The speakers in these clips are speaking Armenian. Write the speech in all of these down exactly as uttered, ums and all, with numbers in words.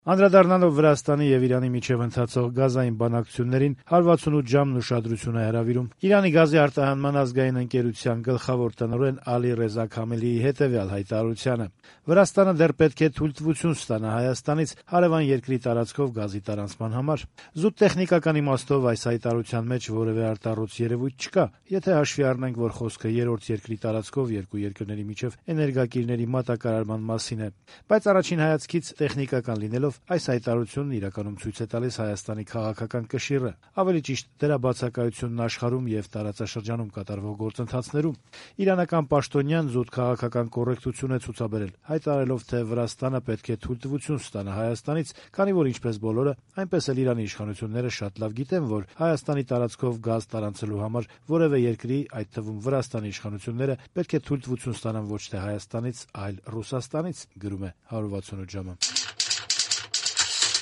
Անդրադառնալով Վրաստանի եւ Իրանի միջեւ ընթացող գազային բանակցություններին հարվածունութ ժամն ուշադրություն է հրավիրում Իրանի գազի արտահանման ազգային ընկերության գլխավոր տնօրեն Ալի Ռեզա Քամելիի հետեւյալ հայտարարությանը. Վրաստանը դեռ պետք է թույլտվություն ստանա Հայաստանից հարեւան երկրի տարածքով գազի տարանցման համար։ Զուտ տեխնիկական իմաստով այս հայտարարության մեջ որեւէ արտառոց երևույթ չկա, եթե հաշվի առնենք, որ խոսքը երրորդ երկրի տարածքով երկու երկրների միջեւ էներգակիրների մատակարարման մասին է։ Բայց առաջին հայացքից տեխնիկական լինելով այս հայտարարությունն իրականում ցույց է տալիս Հայաստանի քաղաքական կշիռը, ավելի ճիշտ դրա բացակայությունն աշխարհում եւ տարածաշրջանում կատարվող գործընթացներում։ Իրանական պաշտոնյան զուտ քաղաքական կոռեկտություն է ցուցաբերել, հայտարարելով, թե Վրաստանը պետք է թույլտվություն ստանա Հայաստանից, քանի որ ինչպես բոլորը, այնպես էլ Իրանի իշխանությունները շատ լավ գիտեն, որ Հայաստանի տարածքով գազ տարանցելու համար որևէ երկրի, այդ թվում Վրաստանի իշխանությունները պետք է թույլտվություն ստանան ոչ թե Հայաստանից, այլ Ռուսաստանից, գրում է հարյուր վաթսունութ ժամը։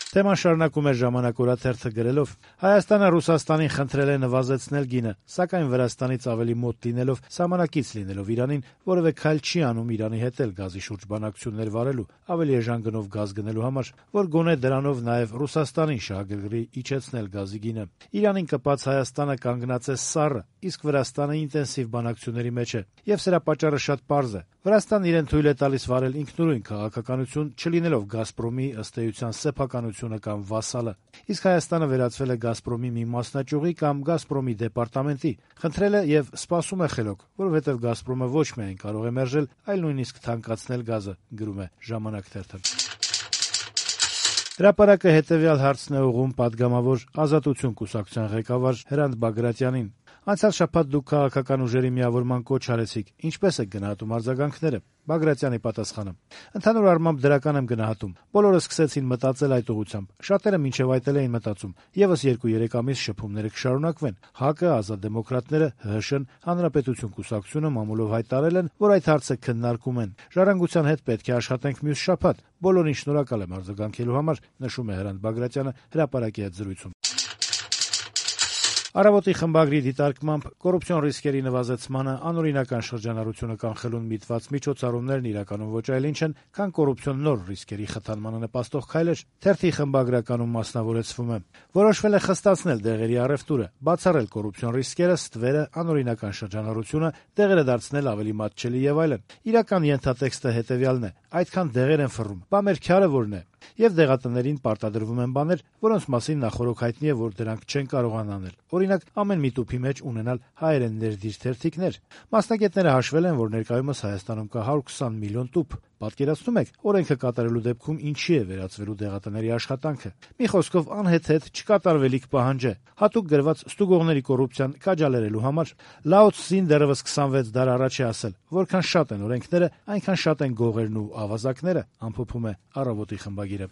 Թեման շարունակում է «Ժամանակ» օրաթերթը գրելով. Հայաստանը Ռուսաստանին խնդրել է նվազեցնել գինը, սակայն Վրաստանից ավելի մոտ լինելով, սահմանակից լինելով Իրանին, որևէ քայլ չի անում Իրանի հետ էլ գազի շուրջ բանակցություններ վարելու, ավելի էժան գնով գազ գնելու համար, որ գոնե դրանով նաև Ռուսաստանին շահագրգռի իջեցնել գազի գինը։ Իրանին կպած Հայաստանը կանգնած է սառը, իսկ Վրաստանը ինտենսիվ բանակցությունների մեջ է, եւ սրա պատճառը շատ պարզ է։ Վրաստանն իրեն թույլ է տալիս վարել ինքնուրույն քաղաքականություն, չլինելով «Գազպրոմի» ըստ էության սեփականությունը կամ վասալը, իսկ Հայաստանը վերածվել է «Գազպրոմի» մի մասնաճյուղի կամ «Գազպրոմի» դեպարտամենտի, խնդրել է եւ սպասում է խելոք, որովհետեւ «Գազպրոմը» ոչ միայն կարող է մերժել, այլ նույնիսկ թանկացնել գազը, գրում է «Ժամանակ» թերթը։ Հրապարակը հետեւյալ հարցն է ուղղում պատգամավոր Ազատություն կուսակցության ղեկավար Հրանտ Բագրատյանին. Անցյալ շաբաթ դուք քաղաքական ուժերի միավորման կոչ արեցիք, ինչպե՞ս եք գնահատում արձագանքները։ Բագրատյանի պատասխանը. Ընդհանուր առմամբ դրական եմ գնահատում։ Բոլորը սկսեցին մտածել այդ ուղղությամբ։ Շատերը մինչև այդ էլ էին մտածում։ Եվս երկու-երեք ամիս շփումները կշարունակվեն։ ՀԱԿ-ը, Ազատ դեմոկրատները, ՀՀՇ-ն, Հանրապետություն կուսակցությունը մամուլով հայտարարել են, որ այդ հարցը քննարկում են։ Ժառանգության հետ պետք է աշխատենք մյուս շաբաթ։ Բոլորին շնորհակալ եմ արձագանքելու համար, նշում է Հրանտ Բագրատյանը հրապարակի հետ զրույցում։ Առավոտի խմբագրի դիտարկմամբ կոռուպցիոն ռիսկերի նվազեցմանը անօրինական շրջանառությունը կանխելուն միտված միջոցառումներն իրականում ոչ այլ ինչ են, քան կոռուպցիոն նոր ռիսկերի խթանմանը նպաստող քայլեր։ Թերթի խմբագրականում մասնավորեցվում է. որոշվել է խստացնել դեղերի առևտուրը, բացառել կոռուպցիոն ռիսկերը, ստվերը, անօրինական շրջանառությունը, դեղերը դարձնել ավելի մատչելի եւ այլն։ Իրական ենթատեքստը հետեւյալն է. այդքան դեղեր են ֆռում, բա մեր քյարը որն է։ Եվ դեղատներին պարտադրվում են բաներ, որոնց մասին նախօրոք հայտնի է, որ դրանք չեն կարողան անել։ Օրինակ, ամեն մի տուփի մեջ ունենալ հայերեն ներդիր թերթիկներ։ Մասնագետները հաշվել են, որ ներկայումս Հայաստանում կա հարյուր քսան միլիոն տուփ։ Պատկերացնում եք, օրենքը կատարելու դեպքում ինչի է վերածվելու դեղատների աշխատանքը։ Մի խոսքով, անհեթեթ չկատարվելիք պահանջ է, հատուկ գրված ստուգողների կոռուպցիան քաջալերելու համար։ Լաո Ցզին դեռևս քսանվեց դար առաջ է ասել, որքան շատ են օրենքները, այնքան շատ են գողերն ու ավազակները, ամփոփում է Առավոտի խմբագիրը։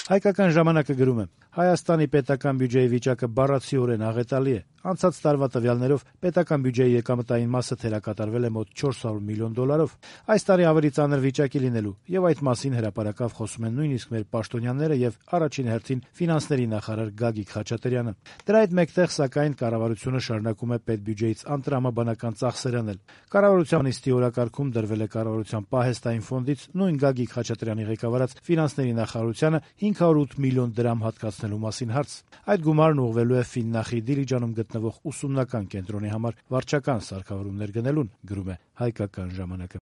Հայկական ժամանակը գրում է. Հայաստանի պետական բյուջեի վիճակը բառացիորեն աղետալի է։ Անցած տարվա տվյալներով պետական բյուջեի եկամտային մասը թերակատարվել է մոտ չորս հարյուր միլիոն դոլարով։ Այս տարի ավելի ծանր վիճակի լինելու, եւ այդ մասին հրապարակավ խոսում են նույնիսկ մեր պաշտոնյաները եւ առաջին հերթին ֆինանսների նախարար Գագիկ Խաչատրյանը։ Դրա հետ մեկտեղ, սակայն, կառավարությունը շարունակում է պետբյուջեից անտրամաբանական ծախսեր անել։ Կառավարության նիստի օրակարգում դրվել է կառավարության պահեստային ֆոնդից նույն Գագիկ Խաչատրյանի ղեկավարած ֆինանսների նախարարությանը հինգ հարյուր ութ միլիոն դրամ հատկացնելու մասին հարց։ Այդ գումարն ուղղվելու է Ֆիննախի Դիլիջանում գտնվող ուսումնական կենտրոնի համար վարչական սարքավորումներ գնելուն, գրում է Հայկական ժամանակը։